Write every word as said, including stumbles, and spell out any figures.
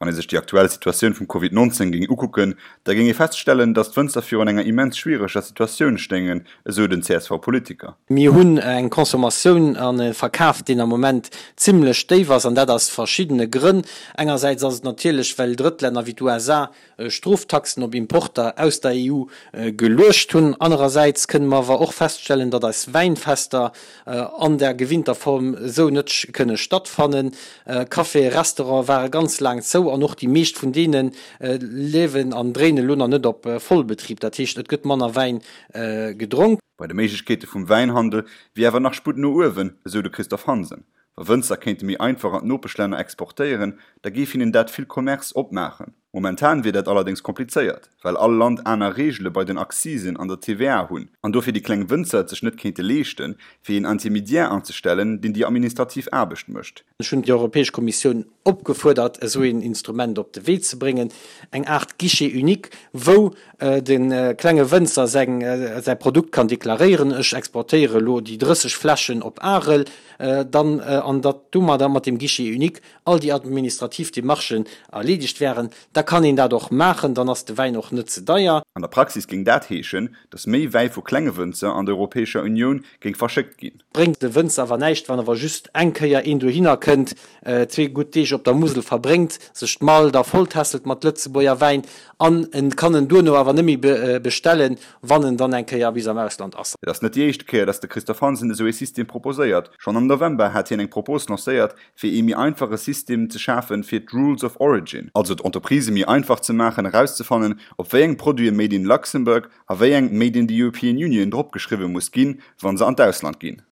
Wann ee sech déi aktuell Situatioun vum Covid nonzéng géing ukucken, da géing ee feststellen, datt d'Wënzer virun enger immens schwiereger Situatioun stéingen, esou den C S V-Politiker. Mir hunn eng Consommatioun an e Verkaf, deen am Moment zimlech déif ass, an dat aus verschiddene Grënn. Engersäits ass et natierlech, well Drëttlänner wéi d'U S A Stroftaxen op Importer aus der E U geluecht hunn. Anerersäits kënne mer awer och feststellen, datt eis Wäinfester an der gewinnter Form esou net kënne stattfannen. Caféen, Restaurante ware ganz laang zou an och déi meescht vun deene liewen an dréinen elo nach net op Vollbetrib. Dat heescht, et gëtt manner Wäin gedronk. Bei de Méiglechkeete vum Wäinhandel wier awer nach Sputt no uewen, esou de Christophe Hansen. Wa Wënzer kéinte méi einfach an d'Nopeschlänner exportéieren, da géif hinnen dat vill Commerce opmaachen. Momentan wier dat allerdéngs komplizéiert, well all Land aner Reegele bei den Accisen an der T V A hunn, an dofir déi kleng Wënzer et sech net kéinte leeschten, fir een Intermediaire anzestellen, deen déi administrativ Aarbecht mécht. Ech hunn déi Europäesch Kommissioun opgefuerdert, esou een Instrument op de Wee ze bréngen, eng Aart Guichet unique, wou de klenge Wënzer säi Produkt kann deklaréieren, ech exportéiere elo déi drësseg Fläschen op Arel, dann, an datt domadder mat deem Guichet unique all déi administrativ Demarchen erleedegt wären. Da kann een dat och maachen, dann ass de Wäin och net ze deier. An der Praxis géing dat heeschen, datt méi Wäi vu klenge Wënzer an der Europäescher Unioun géing verschéckt ginn. Bréngt de Wënzer awer näischt, wann awer just eng Kéier een dohinner kënnt, zwee gutt Deeg op der Musel verbréngt, sech d'Mall da volltässelt mat Lëtzebuerger Wäin an en kann en duerno awer net méi bestellen, wann en dann eng Kéier bis am Ausland ass. Et ass net déi éischte Kéier, datt de Christophe Hansen esou ee System proposéiert. Schonn am November hat hien eng Propos lancéiert, fir ee méi einfache System ze schafen, fir d'Rules of Origin, also d'Entreprisë méi einfach ze maachen, erauszefannen, op wéi eng Produite Made in Luxembourg a wéi eng Made in the European Union dropgeschriwwe muss ginn, wa se an d'Ausland ginn.